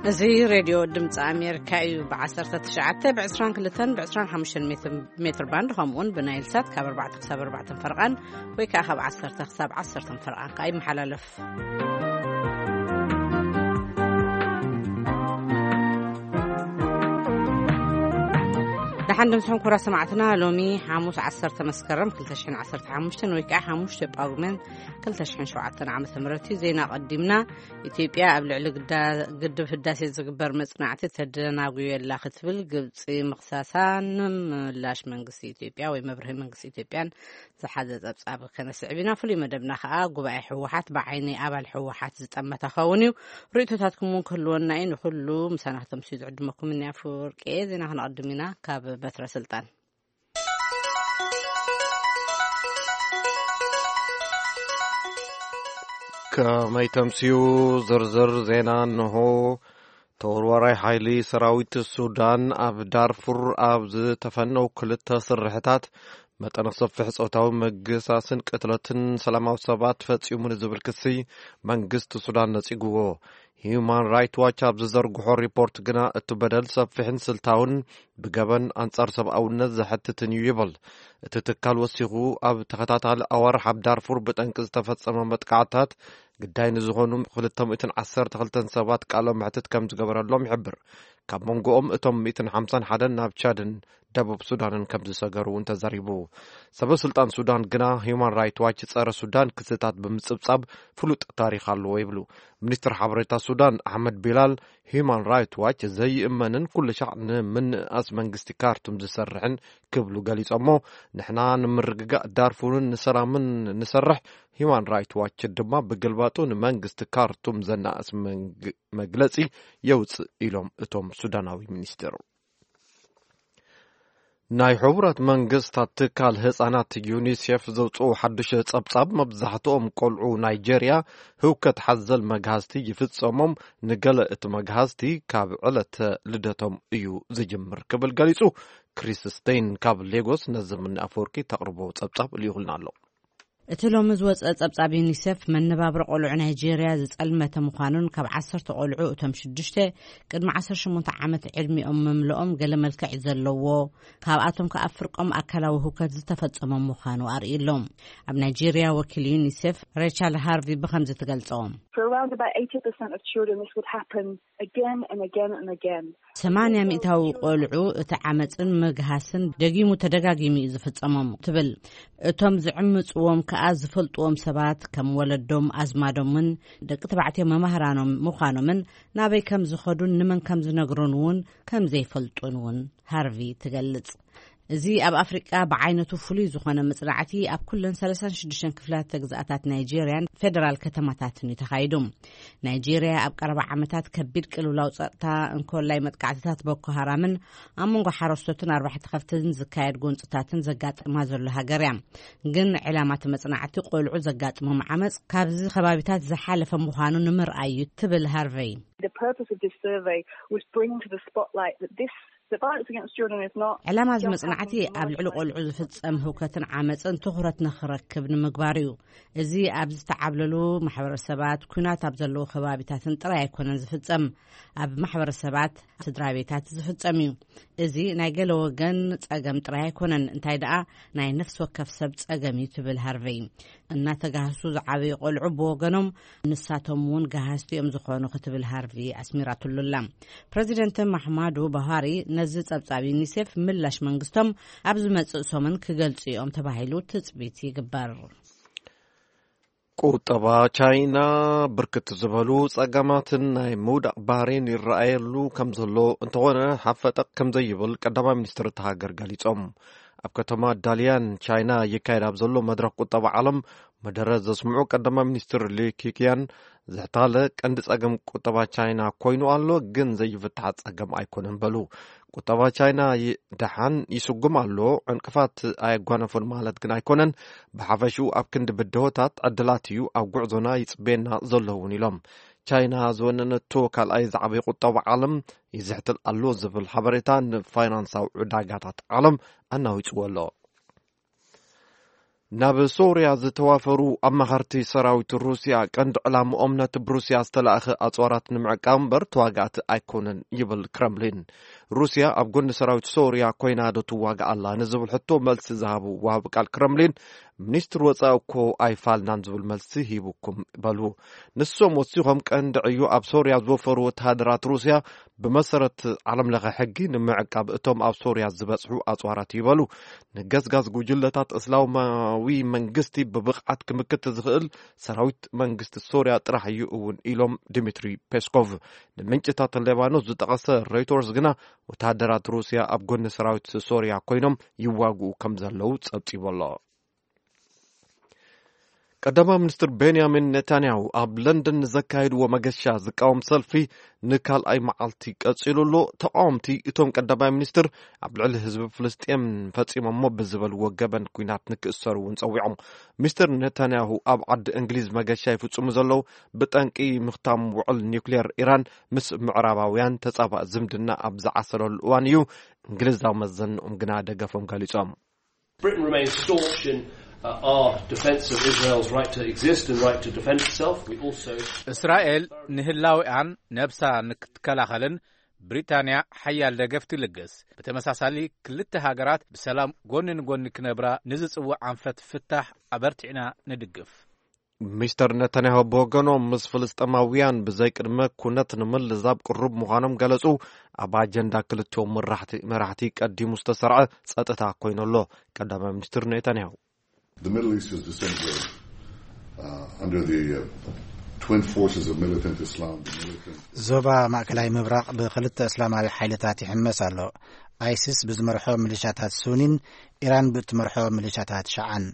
እዚ ሬድዮ ድምፂ ኣሜሪካ እዩ። ብ19፣ ብ22፣ ብ25 ሜትር ባንድ፣ ከምኡውን ብናይል ሳት ካብ ኣርባዕተ ክሳብ ኣርባዕተ ፈርቓን፣ ወይ ከዓ ካብ ዓሰርተ ክሳብ ዓሰርተ ፈርቓን ከዓ ይመሓላለፍ። ደሓን ድምስኹም ኩራ ሰማዕትና። ሎሚ ሓሙስ ዓሰርተ መስከረም ክልተ ሽሕን ዓሰርተ ሓሙሽተን ወይ ከዓ ሓሙሽተ ጳጉሜን ክልተ ሽሕን ሸውዓተን ዓመተ ምህረት እዩ። ዜና ቀዲምና። ኢትዮጵያ ኣብ ልዕሊ ግዳ-፣ ግድብ ህዳሴ ዝግበር መጽናዕቲ ተደናጉየላ ክትብል ግብጺ ምኽሳሳ፣ ንምላሽ መንግስቲ ኢትዮጵያ ወይ መብርሂ መንግስቲ ኢትዮጵያን ዝሓዘ ጸብጻብ ከነስዕብ ኢና። ፍሉይ መደብና ከኣ ጉባኤ ህወሓት ብዓይኒ ኣባል ህወሓት ዝጠመተ ኸውን እዩ። ርእይቶታትኩም እውን ክህልወና እዩ። ንኹሉ ምሳና ክተምስዩ ዝዕድመኩም እኒ ኣፈወርቂ እየ። ዜና ክነቐድም ኢና ካብ በትረ ስልጣን። ከመይ ተምስዩ? ዝርዝር ዜና እንሆ። ተወርዋራይ ሓይሊ ሰራዊት ሱዳን ኣብ ዳርፉር ኣብ ዝተፈነው ክልተ ስርሕታት መጠነ ሰፊሕ ጾታዊ ምግሳስን ቅትለትን ሰላማዊ ሰባት ፈጺሙ ንዝብል ክሲ መንግስቲ ሱዳን ነጺግዎ። ሂዩማን ራይት ዋች ኣብ ዝዘርግሖ ሪፖርት ግና እቲ በደል ሰፊሕን ስልታውን ብገበን ኣንጻር ሰብኣውነት ዘሐትትን እዩ ይብል። እቲ ትካል ወሲኹ ኣብ ተኸታታሊ ኣዋርሕ ኣብ ዳርፉር ብጠንቂ ዝተፈጸመ መጥቃዕታት ግዳይ ንዝኾኑ ክልተ ሚእትን ዓሰርተ ክልተን ሰባት ቃለ መሕትት ከም ዝገበረሎም ይሕብር። ካብ መንጎኦም እቶም ሚእትን ሓምሳን ሓደን ናብ ቻድን ደቡብ ሱዳንን ከም ዝሰገሩ እውን ተዛሪቡ። ሰበ ስልጣን ሱዳን ግና ሂዩማን ራይት ዋች ጸረ ሱዳን ክስታት ብምጽብጻብ ፍሉጥ ታሪኽ ኣለዎ ይብሉ። ሚኒስትር ሓበሬታ ሱዳን ኣሕመድ ቢላል ሂዩማን ራይት ዋች ዘይእመንን ኩሉ ሻዕ ንምንእኣስ መንግስቲ ካርቱም ዝሰርሕን ክብሉ ገሊጾሞ። ንሕና ንምርግጋእ ዳርፉርን ንሰላምን ንሰርሕ፣ ሂዩማን ራይት ዋች ድማ ብግልባጡ ንመንግስቲ ካርቱም ዘናእስ መንግ-፣ መግለጺ የውጽእ ኢሎም እቶም ሱዳናዊ ሚኒስትር። ናይ ሕቡራት መንግስታት ትካል ህጻናት ዩኒሴፍ ዘውጽኦ ሓድሽ ጸብጻብ መብዛሕትኦም ቆልዑ ናይጄርያ ህውከት ሓዘል መግሃዝቲ ይፍጸሞም፣ ንገለ እቲ መግሃዝቲ ካብ ዕለተ ልደቶም እዩ ዝጅምር ክብል ገሊጹ። ክሪስ ስቴይን ካብ ሌጎስ ነዚ ምኒ ኣፈወርቂ ተቕርቦ ጸብጻብ ልኢኹልና ኣሎ። እቲ ሎሚ ዝወጸ ጸብጻብ ዩኒሴፍ መነባብሮ ቆልዑ ናይጄርያ ዝጸልመተ ምዃኑን ካብ ዓሰርተ ቆልዑ እቶም ሽዱሽተ ቅድሚ ዓሰርተ ሸሞንተ ዓመት ዕድሚኦም ምምልኦም ገለ መልክዕ ዘለዎ፣ ካብኣቶም ከኣ ፍርቆም ኣካላዊ ህውከት ዝተፈጸሞም ምዃኑ ኣርእዩ ኣሎ። ኣብ ናይጄርያ ወኪል ዩኒሴፍ ሬቻል ሃርቪ ብኸምዚ ትገልጾ። For around about eighty percent of children, this would happen again and again and again. ሰማንያ ሚእታዊ ቆልዑ እቲ ዓመፅን ምግሃስን ደጊሙ ተደጋጊሙ እዩ ዝፍጸሞም ትብል። እቶም ዝዕምፅዎም ከኣ ዝፈልጥዎም ሰባት ከም ወለዶም፣ ኣዝማዶምን ደቂ ተባዕትዮ መማህራኖም ምዃኖምን ናበይ ከም ዝኸዱን ንመን ከም ዝነግሩን እውን ከም ዘይፈልጡን እውን ሃርቪ ትገልጽ። እዚ ኣብ ኣፍሪቃ ብዓይነቱ ፍሉይ ዝኾነ መጽናዕቲ ኣብ ኩለን ሰላሳን ሽዱሽተን ክፍላተ ግዝኣታት ናይጄርያን ፌደራል ከተማታትን እዩ ተኻይዱ። ናይጄርያ ኣብ ቀረባ ዓመታት ከቢድ ቅልውላው ጸጥታ፣ እንኮላይ መጥቃዕትታት ቦኮ ሃራምን ኣብ መንጎ ሓረስቶትን ኣርባሕቲ ከፍትን ዝካየድ ጎንጽታትን ዘጋጥማ ዘሎ ሃገር እያ። ግን ዕላማ እቲ መጽናዕቲ ቆልዑ ዘጋጥሞም ዓመጽ ካብዚ ከባቢታት ዝሓለፈ ምዃኑ ንምርኣይ እዩ ትብል ሃርቨይ። The purpose of this survey was bringing to the spotlight that this, the violence against children is not ዕላማ እዚ just መጽናዕቲ happening in ኣብ ልዕሊ ቆልዑ ዝፍጸም ህውከትን ዓመጽን ትኹረት ንኽረክብ ንምግባር እዩ። እዚ ኣብ ዝተዓብለሉ ማሕበረሰባት፣ ኲናት ኣብ ዘለዉ ከባቢታትን ጥራይ ኣይኮነን ዝፍጸም፣ ኣብ ማሕበረሰባት፣ ስድራ ቤታት ዝፍጸም እዩ። እዚ ናይ ገለ ወገን ጸገም ጥራይ ኣይኮነን፣ እንታይ ደኣ ናይ ነፍሲ ወከፍ ሰብ ጸገም እዩ ትብል ሃርቨይ። እናተጋህሱ ዝዓበዩ ቆልዑ ብወገኖም ንሳቶም እውን ጋሃስቲ እዮም ዝኾኑ ክትብል ሃርቪ ኣስሚራትሉ ኣላ። ፕረዚደንት ማሕማዱ ቡሃሪ ነዚ ጸብጻብ ዩኒሴፍ ምላሽ መንግስቶም ኣብ ዝመጽእ ሰሙን ክገልጹ እዮም ተባሂሉ ትጽቢት ይግበር። ቁጠባ ቻይና ብርክት ዝበሉ ጸገማትን ናይ ምውዳቕ ባህሪን ይረኣየሉ ከም ዘሎ እንተኾነ ሓፈጠቕ ከም ዘይብል ቀዳማይ ሚኒስትር እታ ሃገር ገሊጾም። ኣብ ከተማ ዳልያን ቻይና ይካየድ ኣብ ዘሎ መድረኽ ቁጠባ ዓለም መደረ ዘስምዑ ቀዳማይ ሚኒስትር ሊ ኪኪያን ዝሕታለ ቀንዲ ጸገም ቁጠባ ቻይና ኮይኑ ኣሎ፣ ግን ዘይፍታሕ ጸገም ኣይኮነን በሉ። ቁጠባ ቻይና ይ-፣ ደሓን ይስጉም ኣሎ፣ ዕንቅፋት ኣየጓነፎን ማለት ግን ኣይኮነን። ብሓፈሽኡ ኣብ ክንዲ ብድሆታት ዕድላት እዩ ኣብ ጉዕዞና ይጽበየና ዘሎ እውን ኢሎም። ቻይና ዝወነነቶ ካልኣይ ዝዓበየ ቁጠባ ዓለም ይዝሕትል ኣሎ ዝብል ሓበሬታ ንፋይናንሳዊ ዕዳጋታት ዓለም ኣናዊጽዎ ኣሎ። ናብ ሶርያ ዝተዋፈሩ ኣማኸርቲ ሰራዊት ሩስያ ቀንዲ ዕላምኦም ነቲ ብሩስያ ዝተላእኸ ኣጽዋራት ንምዕቃብ እምበር ተዋጋእቲ ኣይኮነን ይብል ክረምሊን። ሩስያ ኣብ ጎኒ ሰራዊት ሶርያ ኮይና ዶ ትዋጋእ ኣላ ንዝብል ሕቶ መልሲ ዝሃቡ ወሃቢ ቃል ክረምሊን፣ ሚኒስትር ወጻኢ እኮ ኣይፋልናን ዝብል መልሲ ሂቡኩም በሉ። ንሶም ወሲኾም ቀንዲ ዕዮ ኣብ ሶርያ ዝወፈሩ ወተሃደራት ሩስያ ብመሰረት ዓለም ለኸ ሕጊ ንምዕቃብ እቶም ኣብ ሶርያ ዝበጽሑ ኣጽዋራት ይበሉ። ንገስጋስ ጉጅለታት እስላማዊ መንግስቲ ብብቕዓት ክምክት ዝኽእል ሰራዊት መንግስቲ ሶርያ ጥራሕ እዩ እውን ኢሎም ድሚትሪ ፔስኮቭ። ንምንጭታት ሌባኖስ ዝጠቐሰ ሮይተርስ ግና ወተሃደራት ሩስያ ኣብ ጎኒ ሰራዊት ሶርያ ኮይኖም ይዋግኡ ከም ዘለዉ ጸብጺቡ ኣሎ። ቀዳማይ ሚኒስትር ቤንያሚን ኔታንያሁ ኣብ ለንደን ንዘካየድዎ መገሻ ዝቃወም ሰልፊ ንካልኣይ መዓልቲ ቀጺሉ ኣሎ። ተቃወምቲ እቶም ቀዳማይ ሚኒስትር ኣብ ልዕሊ ህዝቢ ፍልስጤም ፈጺሞሞ ብዝበልዎ ገበን ኲናት ንክእሰሩ እውን ጸዊዖም። ሚስተር ኔታንያሁ ኣብ ዓዲ እንግሊዝ መገሻ ይፍጽሙ ዘለዉ ብጠንቂ ምኽታም ውዕል ኒውክሌር ኢራን ምስ ምዕራባውያን ተጻባእ ዝምድና ኣብ ዝዓሰለሉ እዋን እዩ። እንግሊዛዊ መዘንኦም ግና ደገፎም ገሊጾም። Britain remains staunch in uh, our defence of Israel's right to exist and right to defend itself. We also እስራኤል ንህላዊኣን ነብሳ ንክትከላኸልን ብሪጣንያ ሓያል ደገፍ ትልግስ። ብተመሳሳሊ ክልተ ሃገራት ብሰላም ጎኒ ንጎኒ ክነብራ ንዝጽውዕ ኣንፈት ፍታሕ ኣበርቲዕና ንድግፍ። ሚስተር ነታንያሁ ብወገኖም ምስ ፍልስጤማውያን ብዘይ ቅድመ ኩነት ንምልዛብ ቅሩብ ምዃኖም ገለጹ። ኣብ ኣጀንዳ ክልቲኦም መራሕቲ ቀዲሙ ዝተሰርዐ ጸጥታ ኮይኑ ኣሎ። ቀዳማይ ሚኒስትር ኔታንያሁ The Middle East is disintegrating uh, under the uh, twin forces of militant Islam, the militant ዞባ ማእከላይ ምብራቕ ብክልተ እስላማዊ ሓይልታት ይሕመስ ኣሎ። ኣይሲስ ብዝመርሖ ሚሊሻታት ሱኒን ኢራን ብእትመርሖ ሚሊሻታት ሸዓን።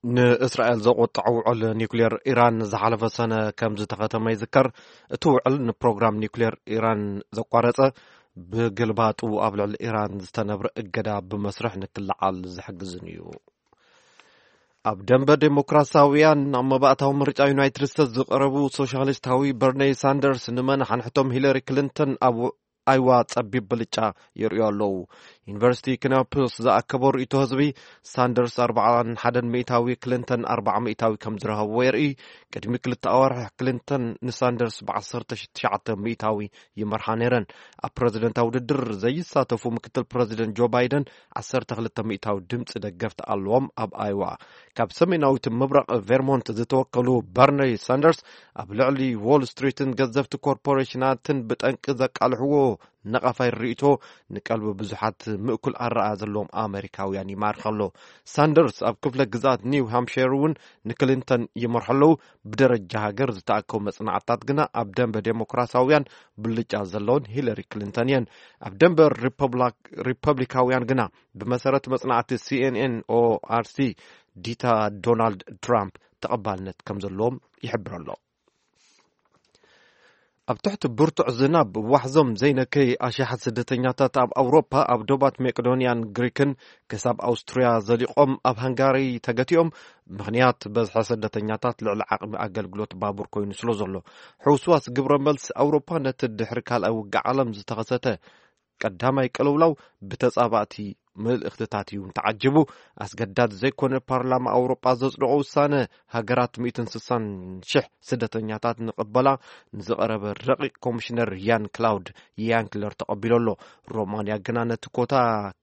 ንእስራኤል ዘቆጠዐ ውዕል ኒውክሌር ኢራን ዝሓለፈ ሰነ ከም ዝተኸተመ ይዝከር። እቲ ውዕል ንፕሮግራም ኒውክሌር ኢራን ዘቋረጸ፣ ብግልባጡ ኣብ ልዕሊ ኢራን ዝተነብረ እገዳ ብመስርሕ ንክለዓል ዝሕግዝን እዩ። ኣብ ደንበ ዴሞክራሲያውያን ኣብ መባእታዊ ምርጫ ዩናይትድ ስቴትስ ዝቐረቡ ሶሻሊስታዊ በርኒ ሳንደርስ ንመን ሓንሕቶም ሂለሪ ክሊንተን ኣብ ኣይዋ ጸቢብ ብልጫ የርእዩ ኣለዉ። ዩኒቨርሲቲ ክነፕስ ዝኣከቦ ርእይቶ ህዝቢ፣ ሳንደርስ ኣርባዓን ሓደን ሚእታዊ፣ ክሊንተን ኣርባዓ ሚእታዊ ከም ዝረኸብዎ የርኢ። ቅድሚ ክልተ ኣዋርሕ ክሊንተን ንሳንደርስ ብ ዓሰርተ ትሽዓተ ሚእታዊ ይመርሓ ነይረን። ኣብ ፕረዚደንታዊ ውድድር ዘይሳተፉ ምክትል ፕረዚደንት ጆ ባይደን ዓሰርተ ክልተ ሚእታዊ ድምፂ ደገፍቲ ኣለዎም ኣብ ኣይዋ። ካብ ሰሜናዊት ምብራቕ ቬርሞንት ዝተወከሉ በርኒ ሳንደርስ ኣብ ልዕሊ ዎል ስትሪትን ገዘፍቲ ኮርፖሬሽናትን ብጠንቂ ዘቃልሕዎ ነቓፋይ ርእይቶ ንቀልቢ ብዙሓት ምእኩል ኣረኣእያ ዘለዎም ኣመሪካውያን ይማርኽ ኣሎ። ሳንደርስ ኣብ ክፍለ ግዝኣት ኒው ሃምፕሸር እውን ንክሊንተን ይመርሑ ኣለዉ። ብደረጃ ሃገር ዝተኣከቡ መጽናዕትታት ግና ኣብ ደንበ ዴሞክራሲያውያን ብልጫ ዘለውን ሂለሪ ክሊንተን እየን። ኣብ ደንበ ሪፐብላክ-፣ ሪፐብሊካውያን ግና ብመሰረት መጽናዕቲ ሲኤንኤን ኦኣርሲ ዲታ ዶናልድ ትራምፕ ተቐባልነት ከም ዘለዎም ይሕብር ኣሎ። ኣብ ትሕቲ ብርቱዕ ዝናብ ዋሕዞም ዘይነከይ ኣሽሓት ስደተኛታት ኣብ ኣውሮፓ ኣብ ዶባት መቄዶንያን ግሪክን ክሳብ ኣውስትርያ ዘሊቖም ኣብ ሃንጋሪ ተገቲኦም። ምኽንያት በዝሒ ስደተኛታት ልዕሊ ዓቕሚ ኣገልግሎት ባቡር ኮይኑ ስለ ዘሎ። ሕውስዋስ ግብረ መልሲ ኣውሮፓ ነቲ ድሕሪ ካልኣይ ውግእ ዓለም ዝተኸሰተ ቀዳማይ ቅልውላው ብተጻባእቲ መልእኽትታት እዩ ተዓጂቡ። ኣስገዳድ ዘይኮነ ፓርላማ ኣውሮጳ ዘጽደቖ ውሳነ ሃገራት ሚእትን ስሳን ሽሕ ስደተኛታት ንቕበላ ንዝቐረበ ረቂቕ ኮሚሽነር ያን ክላውድ ያንክለር ተቐቢሉ ኣሎ። ሮማንያ ግና ነቲ ኮታ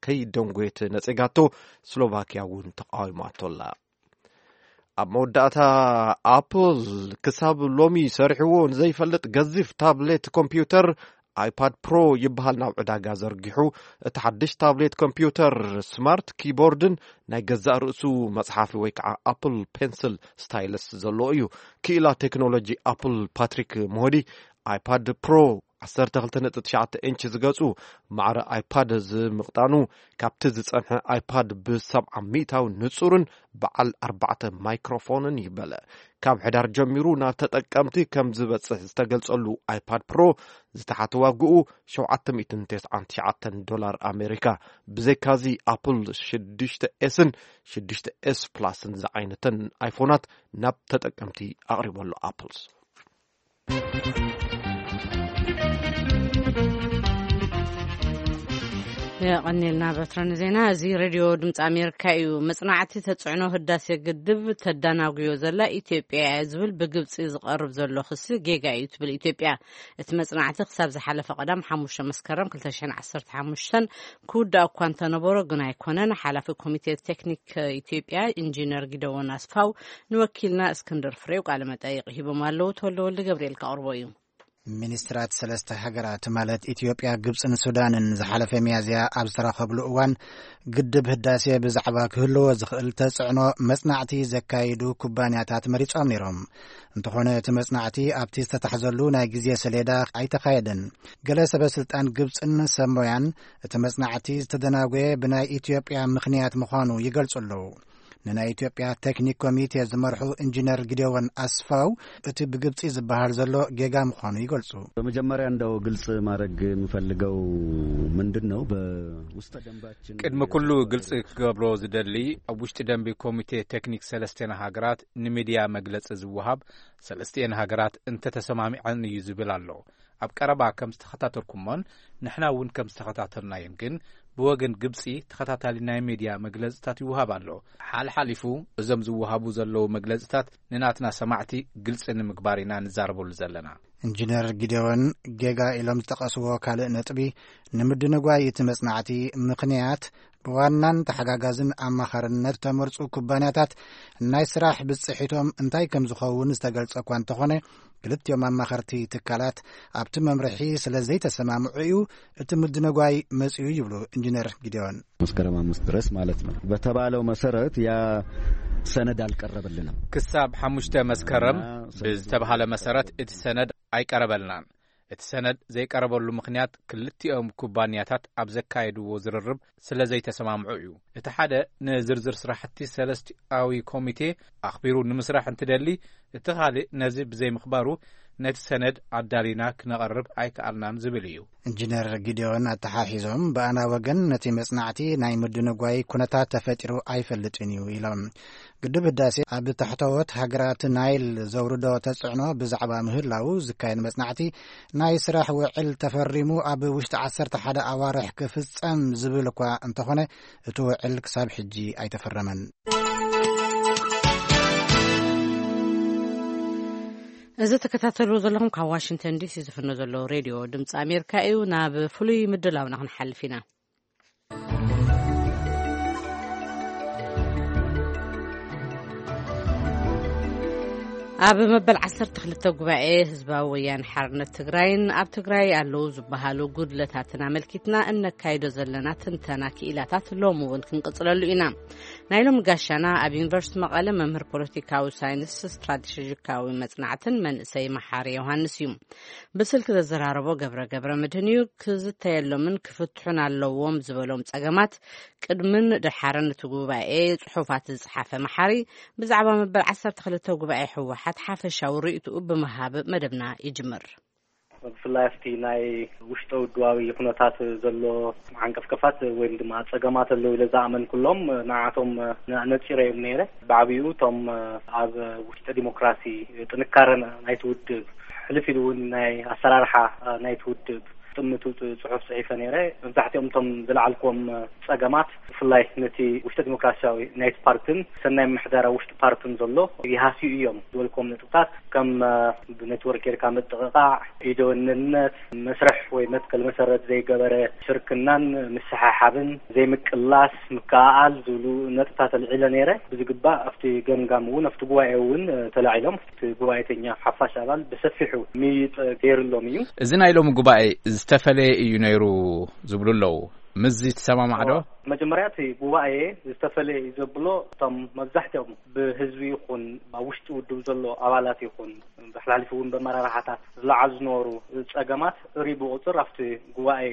ከይደንጎየት ነጺጋቶ፣ ስሎቫኪያ እውን ተቃዊማቶ ኣላ። ኣብ መወዳእታ ኣፕል ክሳብ ሎሚ ሰሪሕዎ ንዘይፈልጥ ገዚፍ ታብሌት ኮምፒውተር ኣይፓድ ፕሮ ይበሃል ናብ ዕዳጋ ዘርጊሑ። እቲ ሓድሽ ታብሌት ኮምፒውተር ስማርት ኪቦርድን ናይ ገዛእ ርእሱ መጽሓፊ ወይ ከዓ ኣፕል ፔንስል ስታይለስ ዘለዎ እዩ። ክኢላ ቴክኖሎጂ ኣፕል ፓትሪክ ሞሆዲ ኣይፓድ ፕሮ ዓሰርተ ክልተ ነጥቢ ትሽዓተ ኢንች ዝገጹ ማዕረ ኣይፓድ ዝምቕጣኑ ካብቲ ዝጸንሐ ኣይፓድ ብሰብዓ ሚእታዊ ንጹርን በዓል ኣርባዕተ ማይክሮፎንን ይበለ። ካብ ሕዳር ጀሚሩ ናብ ተጠቀምቲ ከም ዝበጽሕ ዝተገልጸሉ ኣይፓድ ፕሮ ዝተሓተ ዋግኡ ሸውዓተ ሚእትን ተስዓን ትሽዓተን ዶላር ኣሜሪካ። ብዘይካዚ ኣፕል ሽዱሽተ ኤስን ሽዱሽተ ኤስ ፕላስን ዝዓይነተን ኣይፎናት ናብ ተጠቀምቲ ኣቕሪቡ ኣሎ። ኣፕልስ የቐኔልና በትረ ንዜና። እዚ ሬድዮ ድምፂ ኣሜሪካ እዩ። መጽናዕቲ ተጽዕኖ ህዳሴ ግድብ ተዳናጉዮ ዘላ ኢትዮጵያ እያ ዝብል ብግብፂ ዝቐርብ ዘሎ ክሲ ጌጋ እዩ ትብል ኢትዮጵያ። እቲ መጽናዕቲ ክሳብ ዝሓለፈ ቀዳም ሓሙሽተ መስከረም ክልተ ሽሕን ዓሰርተ ሓሙሽተን ክውዳእ እኳ እንተነበሮ ግን ኣይኮነን። ሓላፊ ኮሚቴ ቴክኒክ ኢትዮጵያ ኢንጂነር ጊደዎን ኣስፋው ንወኪልና እስክንድር ፍሬው ቃለ መጠይቕ ሂቦም ኣለዉ። ተወልደ ወልደ ገብርኤል ከቕርቦ እዩ። ሚኒስትራት ሰለስተ ሃገራት ማለት ኢትዮጵያ፣ ግብፅን ሱዳንን ዝሓለፈ ሚያዝያ ኣብ ዝተራኸብሉ እዋን ግድብ ህዳሴ ብዛዕባ ክህልዎ ዝኽእል ተፅዕኖ መፅናዕቲ ዘካይዱ ኩባንያታት መሪፆም ነይሮም። እንተኾነ እቲ መፅናዕቲ ኣብቲ ዝተታሕዘሉ ናይ ግዜ ሰሌዳ ኣይተኻየደን። ገለ ሰበ ስልጣን ግብፅን ሰብ ሞያን እቲ መፅናዕቲ ዝተደናጎየ ብናይ ኢትዮጵያ ምኽንያት ምዃኑ ይገልፁ ኣለዉ። ንናይ ኢትዮጵያ ቴክኒክ ኮሚቴ ዝመርሑ ኢንጂነር ጊዴዎን ኣስፋው እቲ ብግብፂ ዝበሃል ዘሎ ጌጋ ምዃኑ ይገልፁ። በመጀመሪያ እንደው ግልጽ ማድረግ የምፈልገው ምንድን ነው፣ በውስጠ ደንባችን ቅድሚ ኩሉ ግልጽ ክገብሮ ዝደሊ፣ ኣብ ውሽጢ ደንቢ ኮሚቴ ቴክኒክ ሰለስቴን ሃገራት ንሚድያ መግለጺ ዝወሃብ ሰለስቲኤን ሃገራት እንተተሰማሚዐን እዩ ዝብል ኣሎ። ኣብ ቀረባ ከም ዝተኸታተልኩሞን ንሕና እውን ከም ዝተኸታተልናዮን ግን ብወገን ግብጺ ተኸታታሊ ናይ ሚድያ መግለጽታት ይወሃብ ኣሎ። ሓልሓሊፉ እዞም ዝወሃቡ ዘለዉ መግለጽታት ንናትና ሰማዕቲ ግልጺ ንምግባር ኢና ንዛረበሉ ዘለና። ኢንጂነር ጊዴዎን ጌጋ ኢሎም ዝጠቐስዎ ካልእ ነጥቢ፣ ንምድንጓይ እቲ መጽናዕቲ ምኽንያት ብዋናን ተሓጋጋዝን ኣማኻርነት ተመርጹ ኩባንያታት ናይ ስራሕ ብጽሒቶም እንታይ ከም ዝኸውን ዝተገልጸ እኳ እንተኾነ፣ ክልቲኦም ኣማኸርቲ ትካላት ኣብቲ መምርሒ ስለ ዘይተሰማምዑ እዩ እቲ ምድንጓይ መጺኡ ይብሉ ኢንጂነር ጊዴዎን። መስከረም አምስት ድረስ ማለት ነው። በተባለው መሰረት ያ ሰነድ አልቀረበልንም። ክሳብ ሓሙሽተ መስከረም ብዝተባሃለ መሰረት እቲ ሰነድ ኣይቀረበልናን። እቲ ሰነድ ዘይቀረበሉ ምኽንያት ክልቲኦም ኩባንያታት ኣብ ዘካየድዎ ዝርርብ ስለ ዘይተሰማምዑ እዩ። እቲ ሓደ ንዝርዝር ስራሕቲ ሰለስቲኣዊ ኮሚቴ ኣኽቢሩ ንምስራሕ እንትደሊ፣ እቲ ካልእ ነዚ ብዘይምኽባሩ ነቲ ሰነድ ኣዳሊና ክነቐርብ ኣይከኣልናን ዝብል እዩ። ኢንጂነር ጊዴዎን ኣተሓሒዞም ብኣና ወገን ነቲ መጽናዕቲ ናይ ምድንጓይ ኩነታት ተፈጢሩ ኣይፈልጥን እዩ ኢሎም። ግድብ ህዳሴ ኣብ ታሕተዎት ሃገራት ናይል ዘውርዶ ተጽዕኖ ብዛዕባ ምህላው ዝካየድ መጽናዕቲ ናይ ስራሕ ውዕል ተፈሪሙ ኣብ ውሽጢ ዓሰርተ ሓደ ኣዋርሕ ክፍጸም ዝብል እኳ እንተኾነ እቲ ውዕል ክሳብ ሕጂ ኣይተፈረመን። እዚ ትከታተልዎ ዘለኹም ካብ ዋሽንግተን ዲሲ ዝፍኖ ዘሎ ሬድዮ ድምፂ ኣሜሪካ እዩ። ናብ ፍሉይ ምድላውና ክንሓልፍ ኢና። ኣብ መበል ዓሰርተ ክልተ ጉባኤ ህዝባዊ ወያነ ሓርነት ትግራይን ኣብ ትግራይ ኣለዉ ዝበሃሉ ጉድለታትን ኣመልኪትና እነካይዶ ዘለና ትንተና ክኢላታት ሎሚ እውን ክንቅጽለሉ ኢና። ናይ ሎሚ ጋሻና ኣብ ዩኒቨርሲቲ መቐለ መምህር ፖለቲካዊ ሳይንስ ስትራቴጂካዊ መጽናዕትን መንእሰይ መሓሪ ዮሃንስ እዩ። ብስልኪ ዘዘራረቦ ገብረ ገብረ መድህን እዩ። ክዝተየሎምን ክፍትሑን ኣለዎም ዝበሎም ጸገማት ቅድምን ድሓርን እቲ ጉባኤ ጽሑፋት ዝጸሓፈ መሓሪ ብዛዕባ መበል ዓሰርተ ክልተ ጉባኤ ህወሓት ሓፈሻዊ ርእይትኡ ብምሃብ መደብና ይጅምር። ብፍላይ ኣብቲ ናይ ውሽጠ ውድባዊ ኩነታት ዘሎ ዓንቀፍቀፋት ወይም ድማ ጸገማት ኣለዉ ኢለ ዝኣመንኩሎም ንዓቶም ነጺረ እዮም ነይረ። ብዓብኡ እቶም ኣብ ውሽጠ ዲሞክራሲ ጥንካረ ናይቲ ውድብ፣ ሕልፍ ኢሉ እውን ናይ ኣሰራርሓ ናይቲ ውድብ ጥምቱ ጽሑፍ ጽሒፈ ነይረ። መብዛሕትኦም እቶም ዝለዓልክዎም ጸገማት ብፍላይ ነቲ ውሽጠ ዲሞክራሲያዊ ናይቲ ፓርትን ሰናይ ምሕደራ ውሽጢ ፓርትን ዘሎ ይሃስዩ እዮም ዝበልክዎም ነጥብታት ከም ብኔትወርክ ጌርካ ምጥቕቓዕ፣ ኢደወነንነት፣ መስርሕ ወይ መትከል መሰረት ዘይገበረ ሽርክናን ምስሓሓብን ዘይምቅላስ ምክኣኣል ዝብሉ ነጥብታት ኣልዒለ ነይረ። ብዝግባእ ኣብቲ ገምጋም እውን ኣብቲ ጉባኤ እውን ተላዒሎም እቲ ጉባኤተኛ ሓፋሽ ኣባል ብሰፊሑ ምይይጥ ገይርሎም እዩ። እዚ ናይ ሎሚ ጉባኤ ዝተፈለየ እዩ ነይሩ ዝብሉ ኣለዉ። ምስዚ ትሰማማዕ ዶ? መጀመርያ እቲ ጉባኤ ዝተፈለየ እዩ ዘብሎ እቶም መብዛሕትኦም ብህዝቢ ይኹን ኣብ ውሽጢ ውድብ ዘሎ ኣባላት ይኹን ብሕላሊፉ እውን በመራርሓታት ዝለዓሉ ዝነበሩ ጸገማት እሪ ብቁጽር ኣብቲ ጉባኤ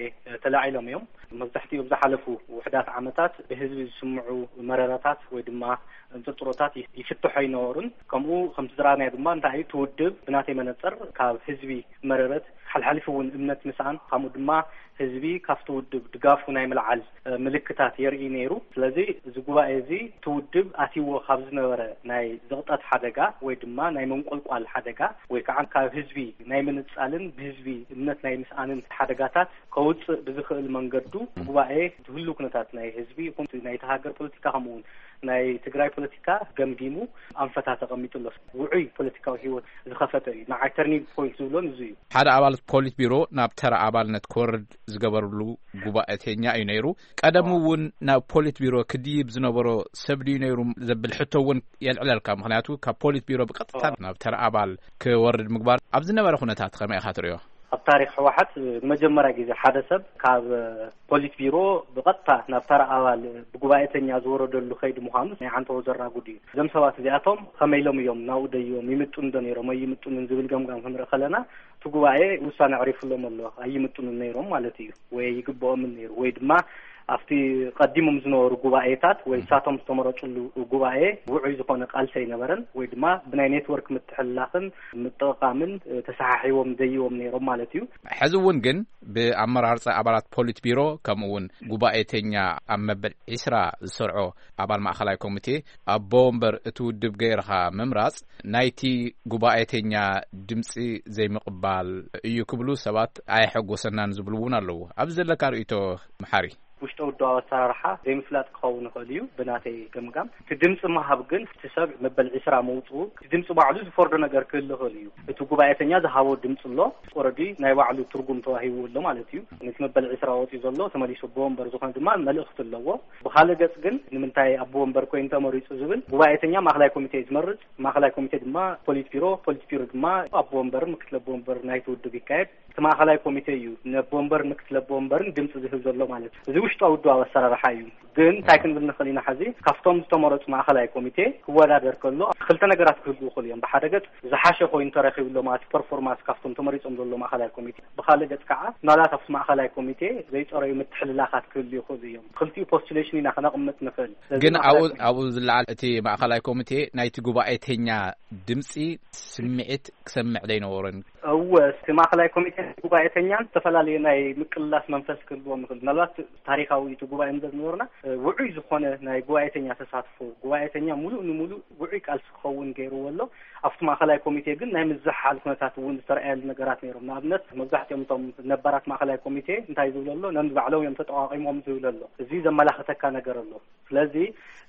ተላዒሎም እዮም። መብዛሕትኡ ኣብ ዝሓለፉ ውሕዳት ዓመታት ብህዝቢ ዝስምዑ መረረታት ወይ ድማ እንጥርጥሮታት ይፍትሖ ኣይነበሩን። ከምኡ ከምቲ ዝረኣናዮ ድማ እንታይ እዩ እቲ ውድብ ብናተይ መነጽር ካብ ህዝቢ መረረት ሓልሓሊፉ እውን እምነት ምስኣን ከምኡ ድማ ህዝቢ ካብቲ ውድብ ድጋፉ ናይ ምልዓል ምልክት ምልክታት የርኢ ነይሩ። ስለዚ እዚ ጉባኤ እዚ እቲ ውድብ ኣትይዎ ካብ ዝነበረ ናይ ዝቕጠት ሓደጋ ወይ ድማ ናይ መንቆልቋል ሓደጋ ወይ ከዓ ካብ ህዝቢ ናይ ምንጻልን ብህዝቢ እምነት ናይ ምስኣንን ሓደጋታት ከውፅእ ብዝኽእል መንገዱ ጉባኤ እቲ ህሉ ኩነታት ናይ ህዝቢ ይኹን ናይቲ ሃገር ፖለቲካ ከምኡ እውን ናይ ትግራይ ፖለቲካ ገምጊሙ ኣንፈታት ኣቐሚጡ ኣሎ። ውዑይ ፖለቲካዊ ህይወት ዝኸፈተ እዩ። ንዓይ ተርኒንግ ፖይንት ዝብሎን እዚ እዩ። ሓደ ኣባል ፖሊት ቢሮ ናብ ተራ ኣባልነት ክወርድ ዝገበርሉ ጉባኤተኛ እዩ ነይሩ። ቀደም እውን ናብ ፖሊት ቢሮ ክድይብ ዝነበሮ ሰብ ድዩ ነይሩ ዘብል ሕቶ እውን የልዕለልካ። ምኽንያቱ ካብ ፖሊት ቢሮ ብቐጥታ ናብ ተራ ኣባል ክወርድ ምግባር ኣብ ዝነበረ ኩነታት ከመይ ኢኻ ትሪኦ? ኣብ ታሪኽ ህወሓት ንመጀመርያ ግዜ ሓደ ሰብ ካብ ፖሊት ቢሮ ብቐጥታ ናብ ተራ ኣባል ብጉባኤተኛ ዝወረደሉ ከይዲ ምዃኑ ናይ ዓንተቦ ዘራጉድ እዩ። እዞም ሰባት እዚኣቶም ከመይ ኢሎም እዮም ናብኡ ደይቦም፣ ይምጥኑ ዶ ነይሮም ኣይምጥኑን ዝብል ገምጋም ክንርኢ ከለና እቲ ጉባኤ ውሳነ ኣዕሪፉሎም ኣሎ። ኣይምጥኑን ነይሮም ማለት እዩ፣ ወይ ይግብኦምን ነይሩ፣ ወይ ድማ ኣብቲ ቀዲሞም ዝነበሩ ጉባኤታት ወይ ሳቶም ዝተመረፅሉ ጉባኤ ውዑይ ዝኾነ ቃልሲ ኣይነበረን፣ ወይ ድማ ብናይ ኔትወርክ ምትሕልላኽን ምጥቕቓምን ተሰሓሒቦም ደይቦም ነይሮም ማለት እዩ። ሕዚ እውን ግን ብኣመራርፃ ኣባላት ፖሊት ቢሮ ከምኡ እውን ጉባኤተኛ ኣብ መበል ዒስራ ዝሰርዖ ኣባል ማእኸላይ ኮሚቴ ኣቦ ወንበር እቲ ውድብ ገይርኻ ምምራፅ ናይቲ ጉባኤተኛ ድምፂ ዘይምቕባል እዩ ክብሉ ሰባት ኣየሐጎሰናን ዝብሉ እውን ኣለዉ። ኣብዚ ዘለካ ርእይቶ መሓሪ? ውሽጠ ውድባዊ ኣሰራርሓ ዘይምፍላጥ ክኸውን ይኽእል እዩ። ብናተይ ገምጋም እቲ ድምፂ ምሃብ ግን እቲ ሰብ መበል ዒስራ መውፅኡ እቲ ድምፂ ባዕሉ ዝፈርዶ ነገር ክህል ይኽእል እዩ። እቲ ጉባኤተኛ ዝሃቦ ድምፂ ኣሎ። ኦረዲ ናይ ባዕሉ ትርጉም ተዋሂቡ ኣሎ ማለት እዩ። ነቲ መበል ዒስራ ወፂኡ ዘሎ ተመሊሱ ኣቦ ወንበር ዝኾነ ድማ መልእኽቲ ኣለዎ። ብኻልእ ገፅ ግን ንምንታይ ኣቦ ወንበር ኮይኑ ተመሪፁ ዝብል ጉባኤተኛ ማእኸላይ ኮሚቴ ዝመርፅ፣ ማእኸላይ ኮሚቴ ድማ ፖሊት ቢሮ፣ ፖሊት ቢሮ ድማ ኣቦ ወንበርን ምክትል ኣቦ ወንበር ናይቲ ውድብ ይካየድ። እቲ ማእኸላይ ኮሚቴ እዩ ነቦ ወንበርን ምክትል ኣቦ ወንበርን ድምፂ ዝህብ ዘሎ ማለት እዩ። እዚ ውሽጣዊ ውድባዊ ኣሰራርሓ እዩ። ግን እንታይ ክንብል ንኽእል ኢና? ሕዚ ካብቶም ዝተመረፁ ማእኸላይ ኮሚቴ ክወዳደር ከሎ ክልተ ነገራት ክህልዉ ይኽእሉ እዮም። ብሓደ ገፅ ዝሓሸ ኮይኑ ተረኺቡ ኣሎ ማለት ፐርፎርማንስ ካብቶም ተመሪፆም ዘሎ ማእኸላይ ኮሚቴ። ብኻልእ ገፅ ከዓ ምናልባት ኣብቲ ማእኸላይ ኮሚቴ ዘይፀረዩ ምትሕልላኻት ክህልዩ ይኽእሉ እዮም። ክልቲኡ ፖስቱሌሽን ኢና ከነቕምጥ ንኽእል። ስለዚ ግን ኣብኡ ማእኸላይ ኮሚቴ ኣብኡ ዝለዓል እቲ ማእኸላይ ኮሚቴ ናይቲ ጉባኤተኛ ድምፂ ስምዒት ክሰምዕ ዘይነበሮን እወ፣ እቲ ማእኸላይ ኮሚቴን ጉባኤተኛን ዝተፈላለዩ ናይ ምቅልላስ መንፈስ ክህልዎም ይኽእል። ምናልባት ታሪኻዊ እቲ ጉባኤ እንተዝነበርና፣ እ፣ ውዑይ ዝኾነ ናይ ጉባኤተኛ ተሳትፎ፣ ጉባኤተኛ ሙሉእ ንሙሉእ ውዑይ ቃልሲ ክኸውን ገይርዎ ኣሎ። ኣብቲ ማእኸላይ ኮሚቴ ግን ናይ ምዝሓል ኩነታት እውን ዝተረኣየሉ ነገራት ነይሮም። ንኣብነት፣ መብዛሕትኦም እቶም ነባራት ማእኸላይ ኮሚቴ እንታይ ዝብሉ ኣሎ? ነንባዕሎም እዮም ተጠቋቒሞም ዝብል ኣሎ። እዚ ዘመላኽተካ ነገር ኣሎ። ስለዚ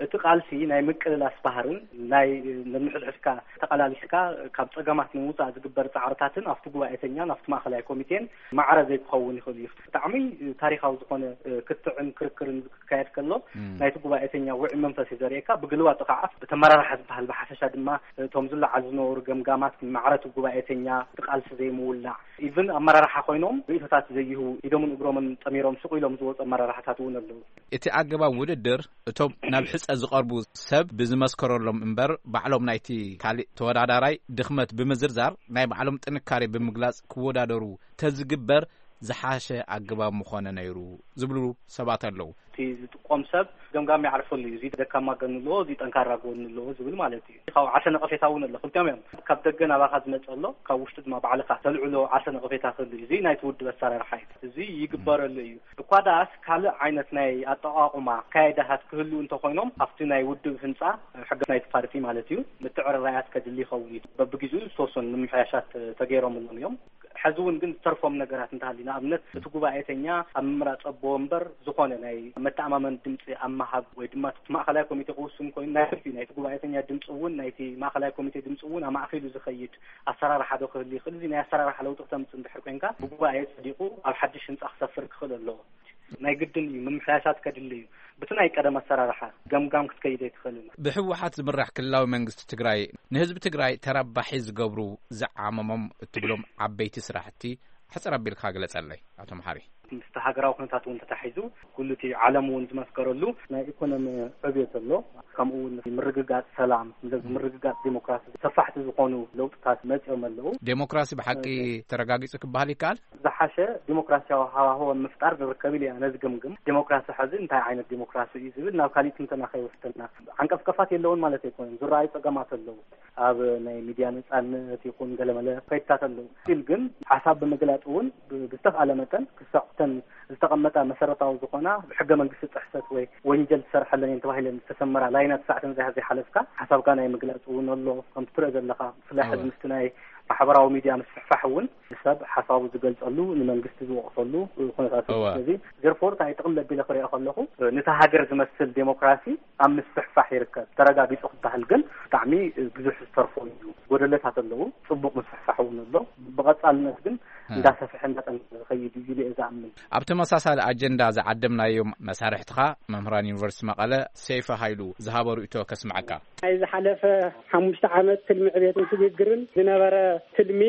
እቲ ቃልሲ ናይ ምቅልላስ ባህርን ናይ ነንሕድሕድካ ተቐላሊስካ ካብ ጸገማት ንምውጻእ ዝግበር ጻዕርታትን ኣብቲ ጉባኤተኛን ኣብቲ ማእኸላይ ኮሚቴን ማዕረ ዘይክኸውን ይኽእል እዩ። ብጣዕሚ ታሪኻዊ ዝኾነ ክትዕን ክርክርን ክካየድ ከሎ እም። ናይቲ ጉባኤተኛ ውዑይ መንፈስ እዩ ዘርእየካ። ብግልባጡ ከዓ እቲ ኣመራርሓ ዝበሃል ብሓፈሻ ድማ እቶም ዝለዓሉ ዝነበሩ ገምጋማት ማዕረ እቲ ጉባኤተኛ እቲ ቃልሲ ዘይምውላዕ ኢቭን ኣመራርሓ ኮይኖም ርእይቶታት ዘይህቡ ኢዶምን እግሮምን ጠሚሮም ስቕ ኢሎም ዝወፁ ኣመራርሓታት እውን ኣለዉ። እቲ ኣገባብ ውድድር እቶም ናብ ሕጸ ዝቐርቡ ሰብ ብዝመስከረሎም እምበር ባዕሎም ናይቲ ካልእ ተወዳዳራይ ድኽመት ብምዝርዛር ናይ ባዕሎም ጥንካሬ ብምግላጽ ክወዳደሩ ተዝግበር ዝሓሸ ኣገባብ ምኾነ ነይሩ ዝብሉ ሰባት ኣለዉ። እቲ ዝጥቆም ሰብ ገምጋም ይዓርፈሉ እዩ። እዚ ደካማ ጎኒ ኣለዎ፣ እዚ ጠንካራ ጎኒ ኣለዎ ዝብል ማለት እዩ። ካብ ዓርሰ ነቐፌታ እውን ኣሎ። ክልቲኦም እዮም። ካብ ደገ ናባኻ ዝመጽእ ኣሎ፣ ካብ ውሽጢ ድማ ባዕልኻ ተልዕሎ ዓርሰ ነቐፌታ ክህሉ እዩ። እዚ ናይቲ ውድብ ኣሰራርሓ እዩ። እዚ ይግበረሉ እዩ። እኳ ደኣስ ካልእ ዓይነት ናይ ኣጠቓቕማ ኣካያይዳታት ክህልዉ እንተኾይኖም ኣብቲ ናይ ውድብ ህንጻ ሕገ ናይቲ ፓርቲ ማለት እዩ ምትዕርራያት ከድሊ ይኸውን እዩ። በብግዜኡ ዝተወሰኑ ምምሕያሻት ተገይሮምሎም እዮም። ሕዚ እውን ግን ዝተርፎም ነገራት እንተሃልዩ ንኣብነት እቲ ጉባኤተኛ ኣብ ምምራጽ ኣቦ ወንበር ዝኾነ ናይ መተኣማመን ድምፂ ኣብ ምሃብ ወይ ድማ እቲ ማእኸላይ ኮሚቴ ክውስን ኮይኑ ናይ ናይቲ ጉባኤተኛ ድምፂ እውን ናይቲ ማእኸላይ ኮሚቴ ድምፂ እውን ኣማእኺሉ ዝኸይድ ኣሰራርሓ ዶ ክህሉ ይኽእል? እዚ ናይ ኣሰራርሓ ለውጢ ክተምፅእ እንድሕር ኮይንካ ብጉባኤ ጸዲቑ ኣብ ሓድሽ ህንፃ ክሰፍር ክኽእል ኣለዎ። ናይ ግድን እዩ፣ ምምሕያሻት ከድሊ እዩ። ብቲ ናይ ቀደም ኣሰራርሓ ገምጋም ክትከይድ ኣይትኽእልን። ብህወሓት ዝምራሕ ክልላዊ መንግስቲ ትግራይ ንህዝቢ ትግራይ ተረባሒ ዝገብሩ ዝዓመሞም እትብሎም ዓበይቲ ስራሕቲ ሕፅር ኣቢልካ ግለፀለይ ኣቶ መሓሪ። ምስቲ ሃገራዊ ኩነታት እውን ተታሒዙ ኩሉ እቲ ዓለም እውን ዝመስከረሉ ናይ ኢኮኖሚ ዕብየት ኣሎ። ከምኡ እውን ምርግጋፅ ሰላም፣ ምርግጋፅ ዲሞክራሲ ሰፋሕቲ ዝኾኑ ለውጥታት መፂኦም ኣለዉ። ዴሞክራሲ ብሓቂ ተረጋጊፁ ክበሃል ይከኣል? ዝሓሸ ዲሞክራሲያዊ ሃዋህወ ምፍጣር ንርከብ ኢለ እየ ኣነ ዝግምግም። ዲሞክራሲ ሕዚ እንታይ ዓይነት ዲሞክራሲ እዩ ዝብል ናብ ካሊእ ትንተና ከይወስደና። ዓንቀፍቀፋት የለውን ማለት ኣይኮነን፣ ዝረኣዩ ፀገማት ኣለዉ። ኣብ ናይ ሚድያ ነፃነት ይኹን ገለመለ ከይድታት ኣለዉ። ስቲል ግን ሓሳብ ብምግላፅ እውን ብ-፣ ብዝተኽኣለ መጠን ክሳዕ ዝተቐመጣ መሰረታዊ ዝኾና ብሕገ መንግስቲ ጥሕሰት ወይ ወንጀል ትሰርሐለን እየን ተባሂለን ዝተሰመራ ላይናት ሳዕተን ዘይሓ ዘይሓለፍካ ሓሳብካ ናይ ምግላፅ እውን ኣሎ። ከምቲ ትሪኦ ዘለኻ ብፍላይ ሕዚ ምስቲ ናይ ማሕበራዊ ሚድያ ምስፍሕፋሕ እውን ሰብ ሓሳቡ ዝገልፀሉ ንመንግስቲ ዝወቕሰሉ ኩነታት እዩ። ስለዚ ዘርፎር እንታይ ጥቕል ለቢለ ክሪኦ ከለኹ ነታ ሃገር ዝመስል ዴሞክራሲ ኣብ ምስፍሕፋሕ ይርከብ። ተረጋጊፁ ክበሃል ግን ብጣዕሚ ብዙሕ ዝተርፎ እዩ። ጎደለታት ኣለዉ። ፅቡቕ ምስፍሕፋሕ እውን ኣሎ። ብቐፃልነት ግን እንዳሰፍሐ እንዳጠንከረ ዝኸይድ እዩ ኢለ እየ ዝኣምን። ኣብ ተመሳሳሊ ኣጀንዳ ዝዓደምናዮም መሳርሕትኻ መምህራን ዩኒቨርሲቲ መቐለ ሰይፈ ሃይሉ ዝሃቦ ርእይቶ ከስምዓካ። ናይ ዝሓለፈ ሓሙሽተ ዓመት ትልሚ ዕቤትን ስግግርን ዝነበረ ትልሚ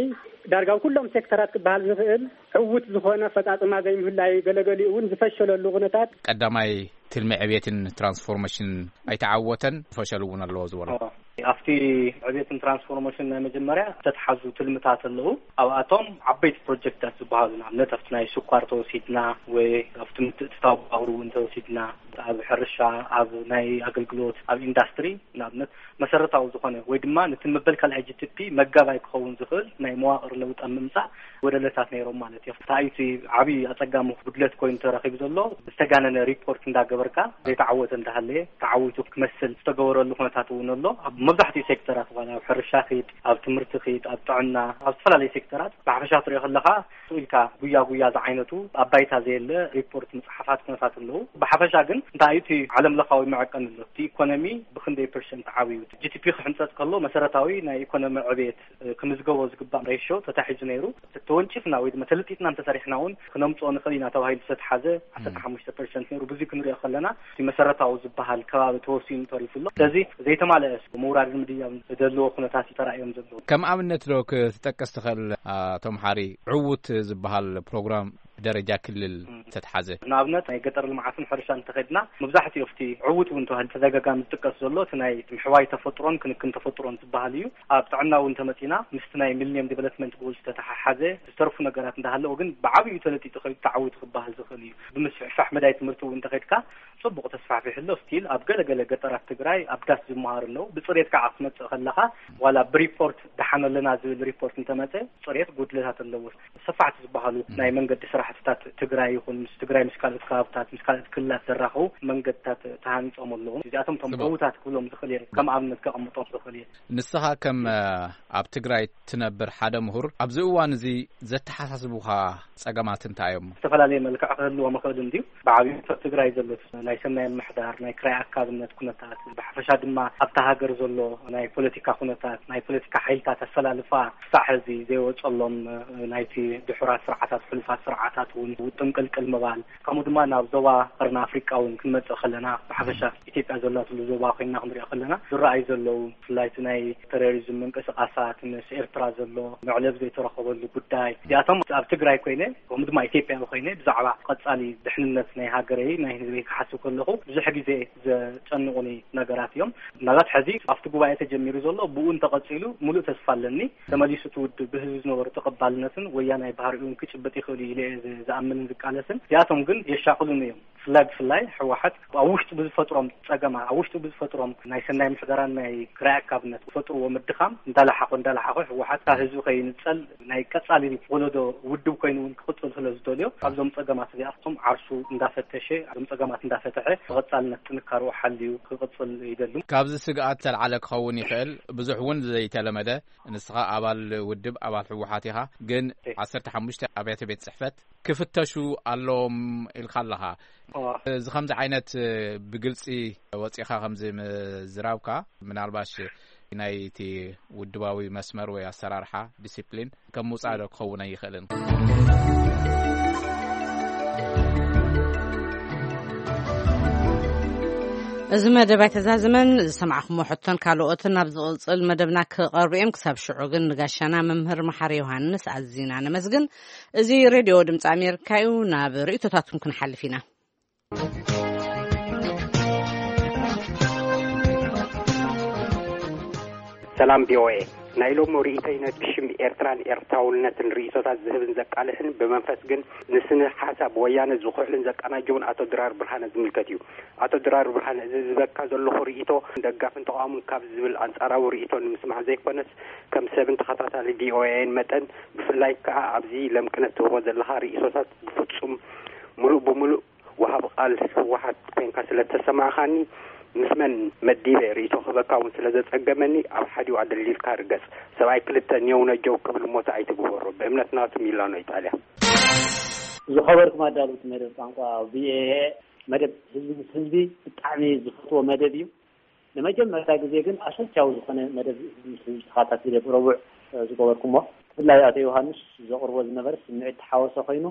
ዳርጋ ኩሎም ሴክተራት ክበሃል ዝኽእል ዕዉት ዝኾነ ኣፈፃፅማ ዘይምህላዩ ገለገሊኡ እውን ዝፈሸለሉ ኩነታት ቀዳማይ ትልሚ ዕቤትን ትራንስፎርሜሽን ኣይተዓወተን፣ ፈሸል እውን ኣለዎ ዝበሎ ኣብቲ ዕቤትን ትራንስፎርሜሽን ናይ መጀመርያ ዝተተሓዙ ትልምታት ኣለዉ። ኣብኣቶም ዓበይቲ ፕሮጀክታት ዝበሃሉ ንኣብነት ኣብቲ ናይ ስኳር ተወሲድና ወይ ኣብቲ ምትእትታው ባቡር እውን ተወሲድና ኣብ ሕርሻ ኣብ ናይ ኣገልግሎት ኣብ ኢንዳስትሪ ንኣብነት መሰረታዊ ዝኾነ ወይ ድማ ነቲ መበል ካልኣይ ጂ ቲ ፒ መጋባይ ክኸውን ዝኽእል ናይ መዋቕር ለውጢ ኣብ ምምፃእ ጎደለታት ነይሮም ማለት እዮም። እንታይ እቲ ዓብዪ ኣፀጋሚ ጉድለት ኮይኑ ተረኺቡ ዘሎ ዝተጋነነ ሪፖርት እንዳገበርካ ዘይተዓወተ እንዳሃለየ ተዓዊቱ ክመስል ዝተገበረሉ ኩነታት እውን ኣሎ። ኣብ መብዛሕትኡ ሴክተራት ዋላ ኣብ ሕርሻ ኺድ፣ ኣብ ትምህርቲ ኺድ፣ ኣብ ጥዕና፣ ኣብ ዝተፈላለዩ ሴክተራት ብሓፈሻ ትሪኦ ከለኻ ስቕ ኢልካ ጉያ ጉያ ዝዓይነቱ ኣብ ባይታ ዘየለ ሪፖርት ምፅሓፋት ኩነታት ኣለዉ። ብሓፈሻ ግን እንታይ እዩ እቲ ዓለም ለኻዊ መዐቀኒ ኣሎ? እቲ ኢኮኖሚ ብክንደይ ፐርሰንት ዓብዩ? ጂ ቲ ፒ ክሕንፀፅ ከሎ መሰረታዊ ናይ ኢኮኖሚ ዕቤት ክምዝገቦ ዝግባእ ሬሾ ተታሒዙ ነይሩ። ተወንጭፍና ወይ ድማ ተለጢጥና እንተሰሪሕና እውን ክነምፅኦ ንኽእል ኢና ተባሂሉ ዝተትሓዘ ዓሰርተ ሓሙሽተ ፐርሰንት ነይሩ። ብዙ ክንሪኦ ከለና እቲ መሰረታዊ ዝበሃል ከባቢ ተወሲኑ ተሪፉ ኣሎ። ስለዚ ዘይተማለአ ምውራድን ምድያብን ዘለዎ ኩነታት እዩ ተራእዮም ዘለዎ። ከም ኣብነት ዶ ክትጠቅስ ትኽእል ኣቶ መሓሪ ዕዉት ዝበሃል ፕሮግራም ብደረጃ ክልል ዝተትሓዘ? ንኣብነት ናይ ገጠር ልምዓትን ሕርሻን እንተኸድና መብዛሕትኡ ኣብቲ ዕዉት እውን ተባሂሉ ተደጋጋሚ ዝጥቀስ ዘሎ እቲ ናይ ምሕዋይ ተፈጥሮን ክንክን ተፈጥሮን ዝበሃል እዩ። ኣብ ጥዕና እውን ተመፂና ምስቲ ናይ ሚሊኒየም ዲቨሎፕመንት ጎል ዝተተሓሓዘ ዝተርፉ ነገራት እንዳሃለዎ ግን ብዓብዩ ተለጢጡ ከይዱ ተዓዊቱ ክበሃል ዝኽእል እዩ። ብምስፍሕፋሕ መዳይ ትምህርቲ እውን እንተኸድካ ፅቡቕ ተስፋሕፊሕ ኣሎ። ስቲል ኣብ ገለገለ ገጠራት ትግራይ ኣብ ዳስ ዝመሃሩ ኣለዉ። ብፅሬት ከዓ ክትመፅእ ከለኻ ዋላ ብሪፖርት ደሓን ኣለና ዝብል ሪፖርት እንተመፀ ፅሬት ጉድለታት ኣለዎ። ሰፋሕቲ ዝበሃሉ ናይ መንገዲ ስራሕትታት ትግራይ ይኹን ምስ ትግራይ ምስ ካልኦት ከባብታት ምስ ካልኦት ክልላት ዘራኸቡ መንገድታት ተሃኒፆም ኣለዉ። እዚኣቶም እቶም ዕዉታት ክብሎም ዝኽእል እየ። ከም ኣብነት ከቐምጦም ዝኽእል እየ። ንስኻ ከም ኣብ ትግራይ ትነብር ሓደ ምሁር ኣብዚ እዋን እዚ ዘተሓሳስቡኻ ፀገማት እንታይ እዮም? ዝተፈላለየ መልክዕ ክህልዎም ይኽእል እንድዩ። ብዓብዩ ኣብ ትግራይ ዘሎ ናይ ሰናይ ምምሕዳር ናይ ክራይ ኣካብነት ኩነታት ብሓፈሻ ድማ ኣብታ ሃገር ዘሎ ናይ ፖለቲካ ኩነታት ናይ ፖለቲካ ሓይልታት ኣሰላልፋ ክሳዕ ሕዚ ዘይወፀሎም ናይቲ ድሑራት ስርዓታት ሕሉፋት ስርዓታት እውን ውጥም ቅልቅል ምባል ከምኡ ድማ ናብ ዞባ ቀርኒ ኣፍሪቃ እውን ክንመፅእ ከለና ብሓፈሻ ኢትዮጵያ ዘላትሉ ዞባ ኮይና ክንሪኦ ከለና ዝረኣዩ ዘለዉ ብፍላይ እቲ ናይ ቴሮሪዝም ምንቅስቃሳት ምስ ኤርትራ ዘሎ መዕለብ ዘይተረኸበሉ ጉዳይ እዚኣቶም ኣብ ትግራይ ኮይነ ከምኡ ድማ ኢትዮጵያዊ ኮይነ ብዛዕባ ቀፃሊ ድሕንነት ናይ ሃገረይ ናይ ህዝበይ ክሓስብ ከለኹ ብዙሕ ግዜ ዘጨንቑኒ ነገራት እዮም። ምናልባት ሕዚ ኣብቲ ጉባኤ ተጀሚሩ ዘሎ ብኡ እንተቐፂሉ ሙሉእ ተስፋ ኣለኒ። ተመሊሱ እቲ ውድብ ብህዝቢ ዝነበሩ ተቐባልነትን ወያናይ ባህሪኡን ክጭብጥ ይኽእል እዩ ኢለ እየ ዝ- ዝኣምንን ዝቃለስን። እዚኣቶም ግን የሻቕሉኒ እዮም። ብፍላይ ብፍላይ ህወሓት ኣብ ውሽጡ ብዝፈጥሮም ፀገማት ኣብ ውሽጡ ብዝፈጥሮም ናይ ሰናይ ምሕደራን ናይ ክራይ ኣካብነት ዝፈጥርዎ ምድኻም እንዳለሓኾ እንዳለሓኾ ህወሓት ካብ ህዝቢ ከይንፀል ናይ ቀፃሊ ወለዶ ውድብ ኮይኑ እውን ክቕፅል ስለ ዝደልዮ ካብዞም ፀገማት እዚኣቶም ዓርሱ እንዳፈተሸ እዞም ፀገማት እንዳፈተሐ ብቐፃልነት ጥንካርኡ ሓልዩ ክቕፅል ይደሉ። ካብዚ ስግኣት ተልዓለ ክኸውን ይኽእል ብዙሕ እውን ዘይተለመደ ንስኻ ኣባል ውድብ ኣባል ህወሓት ኢኻ፣ ግን ዓሰርተ ሓሙሽተ ኣብያተ ቤት ፅሕፈት ክፍተሹ ኣለዎም ኢልካ ኣለኻ። እዚ ከምዚ ዓይነት ብግልፂ ወፂኻ ከምዚ ምዝራብካ ምናልባሽ ናይቲ ውድባዊ መስመር ወይ ኣሰራርሓ ዲሲፕሊን ከም ምውፃእ ዶ ክኸውን ኣይኽእልን? እዚ መደብ ኣይተዛዝመን። ዝሰማዕኹሞ ሕቶን ካልኦትን ኣብ ዝቕጽል መደብና ክቐርቡ እዮም። ክሳብ ሽዑ ግን ንጋሻና መምህር መሓሪ ዮሃንስ ኣዚና ነመስግን። እዚ ሬድዮ ድምፂ ኣሜሪካ እዩ። ናብ ርእይቶታትኩም ክንሓልፍ ኢና። ሰላም ቪኦኤ፣ ናይ ሎሚ ርእይቶይ ነቲ ሽም ኤርትራን ኤርትራውነትን ርእይቶታት ዝህብን ዘቃልሕን ብመንፈስ ግን ንስነ ሓሳብ ወያነ ዝኹዕልን ዘቀናጀውን ኣቶ ድራር ብርሃነ ዝምልከት እዩ። ኣቶ ድራር ብርሃነ፣ እዚ ዝህበካ ዘለኹ ርእይቶ ደጋፍን ተቓውሞን ካብ ዝብል ኣንጻራዊ ርእይቶ ንምስማዕ ዘይኮነስ፣ ከም ሰብን ተኸታታሊ ቪኦኤን መጠን፣ ብፍላይ ከኣ ኣብዚ ለምቅነት ትህቦ ዘለኻ ርእይቶታት ብፍጹም ሙሉእ ብሙሉእ ወሃብ ቃል ህወሓት ኮንካ ስለ ተሰማዕኻኒ፣ ምስ መን መዲበ ርእይቶ ክህበካ እውን ስለ ዘጸገመኒ፣ ኣብ ሓዲኡ ኣደልዲልካ ርገጽ። ሰብኣይ ክልተ ኔው ነጀው ክብል ሞት ኣይትግበሮ። ብእምነት ናቱ ሚላኖ ኢጣልያ። ዝኸበርኩም ኣዳለውቲ መደብ ቋንቋ ቪኦኤ፣ መደብ ህዝቢ ምስ ህዝቢ ብጣዕሚ ዝፈትዎ መደብ እዩ። ንመጀመርታ ግዜ ግን ኣሰልቻዊ ዝኾነ መደብ ህዝቢ ምስ ህዝቢ ተኸታቲለ ብረቡዕ ዝገበርኩሞ። ብፍላይ ኣቶ ዮሃንስ ዘቕርቦ ዝነበረ ስምዒት ተሓወሰ ኮይኑ፣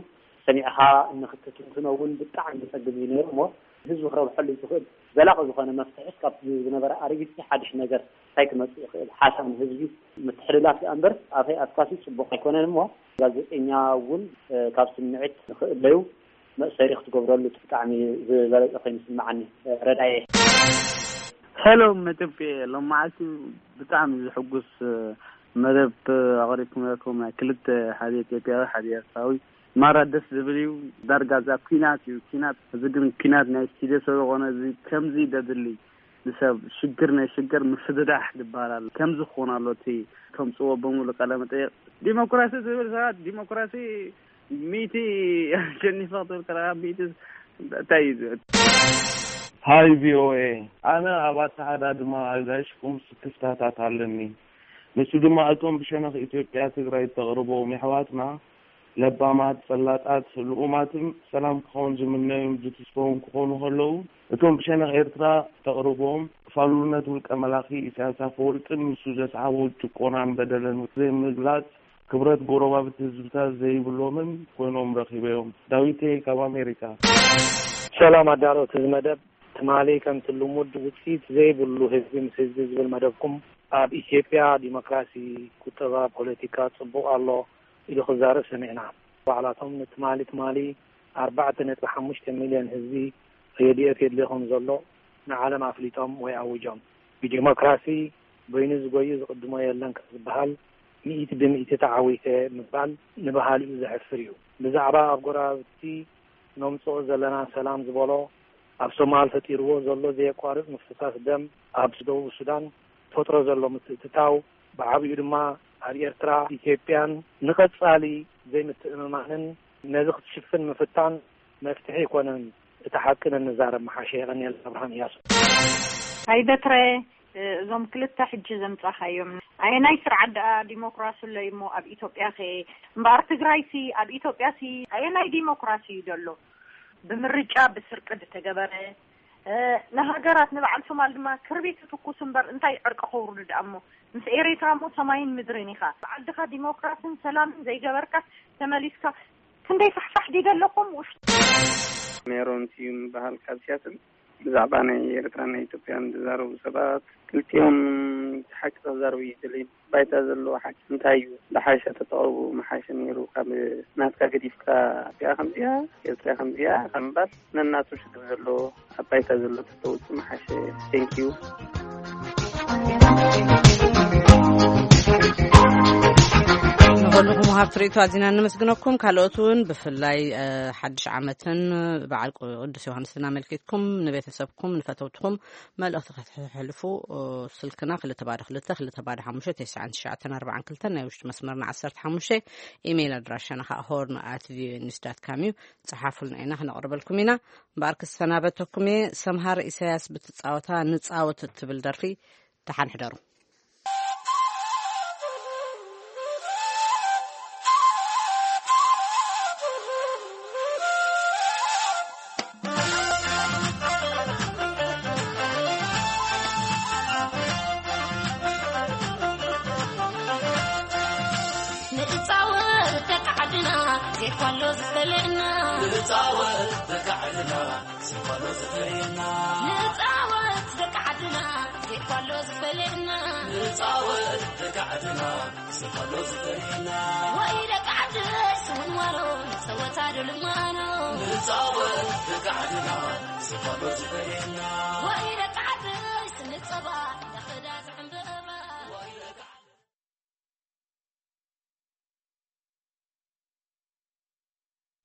ሰሚዕኻ ንኽትትንትኖ እውን ብጣዕሚ ዘጸግም እዩ ነይሩ። እሞ ህዝቢ ክረብሐሉ ዝኽእል ዘላቒ ዝኾነ መፍትሒ እስካብ ዝነበረ ኣረጊት ሓድሽ ነገር እንታይ ክመጽእ ይኽእል? ሓሳብ ንህዝቢ ምትሕልላፍ ደኣ እምበር ኣፈይ ኣፍካሲ ጽቡቕ ኣይኮነን። እሞ ጋዜጠኛ እውን ካብ ስምዒት ንኽእለዩ መእሰሪ ክትገብረሉ ብጣዕሚ ዝበለጸ ኮይኑ ይስምዓኒ። ረዳየ። ሄሎ መደብ ሎማዓልቲ ብጣዕሚ ዝሕጉስ መደብ ኣቕሪብኩም ነርኩም። ናይ ክልተ፣ ሓደ ኢትዮጵያዊ ሓደ ኤርትራዊ፣ ማራ ደስ ዝብል እዩ። ዳርጋ እዛ ኩናት እዩ፣ ኩናት። እዚ ግን ኩናት ናይ ስቱድዮ ስለ ዝኾነ እዚ ከምዚ ደድሊ ንሰብ ሽግር ናይ ሽግር ምፍድዳሕ ይባላል። ከምዚ ክኾን ኣሎ እቲ ከምፅዎ በሙሉ ቃለ መጠየቅ። ዲሞክራሲ ዝብል ሰባት ዲሞክራሲ ሚእቲ ኣሸኒፈ ክትብል ከለካ ሚእቲ እንታይ እዩ ዝብል? ሃይ ቪኦኤ፣ ኣነ ኣብ ኣተሓዳድማ ኣጋይሽኩም ስክፍታታት ኣለኒ። ንሱ ድማ እቶም ብሸነኽ ኢትዮጵያ ትግራይ እተቕርቦም የሕዋትና ለባማት፣ ፈላጣት፣ ልኡማትን ሰላም ክኸውን ዝምነዩን ዝትስፈውን ክኾኑ ከለዉ፣ እቶም ብሸነኽ ኤርትራ እተቕርቦም ፋሉልነት ውልቀ መላኺ ኢሳያስ ኣፈወርቅን ንሱ ዘስዓቦ ጭቆናን በደልን ዘይምግላጽ ክብረት ጎረባብቲ ህዝብታት ዘይብሎምን ኮይኖም ረኺበዮም። ዳዊተይ ካብ ኣሜሪካ። ሰላም ኣዳለውቲ እዚ መደብ፣ ትማሊ ከምቲ ልሙድ ውጽኢት ዘይብሉ ህዝቢ ምስ ህዝቢ ዝብል መደብኩም ኣብ ኢትዮጵያ ዲሞክራሲ፣ ቁጠባ፣ ፖለቲካ ጽቡቕ ኣሎ ኢሉ ክዛረብ ሰሚዕና። ባዕላቶም ንትማሊ ትማሊ ኣርባዕተ ነጥቢ ሓሙሽተ ሚልዮን ህዝቢ ሬድዮ የድልዮ ከም ዘሎ ንዓለም ኣፍሊጦም ወይ ኣዊጆም። ብዲሞክራሲ በይኑ ዝጎዩ ዝቕድሞ የለን ካብ ዝበሃል ሚእቲ ብሚእቲ ተዓዊተ ምባል ንበሃሊኡ ዘሕፍር እዩ። ብዛዕባ ኣብ ጎረባብቲ ነምጽኦ ዘለና ሰላም ዝበሎ፣ ኣብ ሶማል ፈጢርዎ ዘሎ ዘየቋርጽ ምፍሳስ ደም፣ ኣብ ደቡብ ሱዳን ፈጥሮ ዘሎ ምትእትታው፣ ብዓቢኡ ድማ ኣብ ኤርትራ ኢትዮጵያን ንቐጻሊ ዘይምትእምማንን ነዚ ክትሽፍን ምፍታን መፍትሒ ኣይኮነን። እቲ ሓቂ ነንዛረብ ምሓሸ። የቐንየልና። ኣብርሃም እያሱ። ኣይ በትረ፣ እዞም ክልተ ሕጂ ዘምጻኻዮም ኣየናይ ስርዓት ደኣ ዲሞክራሲ ኣሎ እሞ ኣብ ኢትዮጵያ ከ? እምበኣር ትግራይሲ ኣብ ኢትዮጵያሲ ኣየናይ ዲሞክራሲ እዩ ዘሎ? ብምርጫ ብስርቂ ዝተገበረ፣ ንሃገራት ንበዓል ሶማል ድማ ክርቢት ትኩስ እምበር እንታይ ዕርቂ ከውርዱ ደኣ እሞ? ምስ ኤሬትራ እሞ ሰማይን ምድርን ኢኻ። ብዓድኻ ዲሞክራስን ሰላምን ዘይገበርካ ተመሊስካ ክንደይ ፋሕፋሕ ዲደ ኣለኹም ውሽጢ። ሜሮን ስዩም ይበሃል ካብ ሲያትል። ብዛዕባ ናይ ኤርትራን ናይ ኢትዮጵያን ዝዛረቡ ሰባት ክልቲኦም ሓቂ ክዛረቡ ይደልዩ። ባይታ ዘሎ ሓቂ እንታይ እዩ? ዝሓሸ ተተቕርቡ ምሓሸ ነይሩ። ካብ ናትካ ገዲፍካ እዚኣ ከምዚኣ ኤርትራ ከምዚኣ ካብ ምባል ነናቱ ሽግር ዘሎ ኣብ ባይታ ዘሎ ተተውፅእ ምሓሸ። Thank you። ንኹልኹም ወሃብቲ ርእይቶ ኣዚና ነመስግነኩም። ካልኦት እውን ብፍላይ ሓድሽ ዓመትን በዓል ቅዱስ ዮሃንስን ኣመልኪትኩም ንቤተሰብኩም ንፈተውትኹም መልእኽቲ ከተሕልፉ ስልክና ክልተ ባዶ ክልተ ክልተ ባዶ ሓሙሽተ ተስዓን ትሽዓተን ኣርባዓን ክልተን ናይ ውሽጢ መስመርና ዓሰርተ ሓሙሽተ ኢሜይል ኣድራሻና ከዓ ሆርን ኣት ቪኦኤ ኒውስ ዳት ካም እዩ። ጸሓፉልና ኢና ክነቕርበልኩም ኢና። እምበኣር ክሰናበተኩም እየ። ሰምሃር ኢሳያስ ብትጻወታ ንጻወት እትብል ደርፊ ተሓንሕደሩ። ንጻወት ደቂ ዓድና ዜኳሎ ዝፈልየና ንጻወት ደቂ ዓድና ዜኳሎ ዝፈልየና ንጻወት ደቂ ዓድና ዜኳሎ ዝፈልየና ንጻወት ደቂ ዓድና ዜኳሎ ዝፈልየና ወይ ደቂ ዓድና ስውንዋሎ ንጸወታ ዶ ልማኖ ንጻወት ደቂ ዓድና ዜኳሎ ዝፈልየና ወይ ደቂ ዓድና ስንጸባ ለኽዳ ዝዕምበባ ወይ ደቂ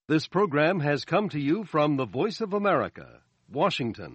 This program has come to you from the Voice of America, Washington.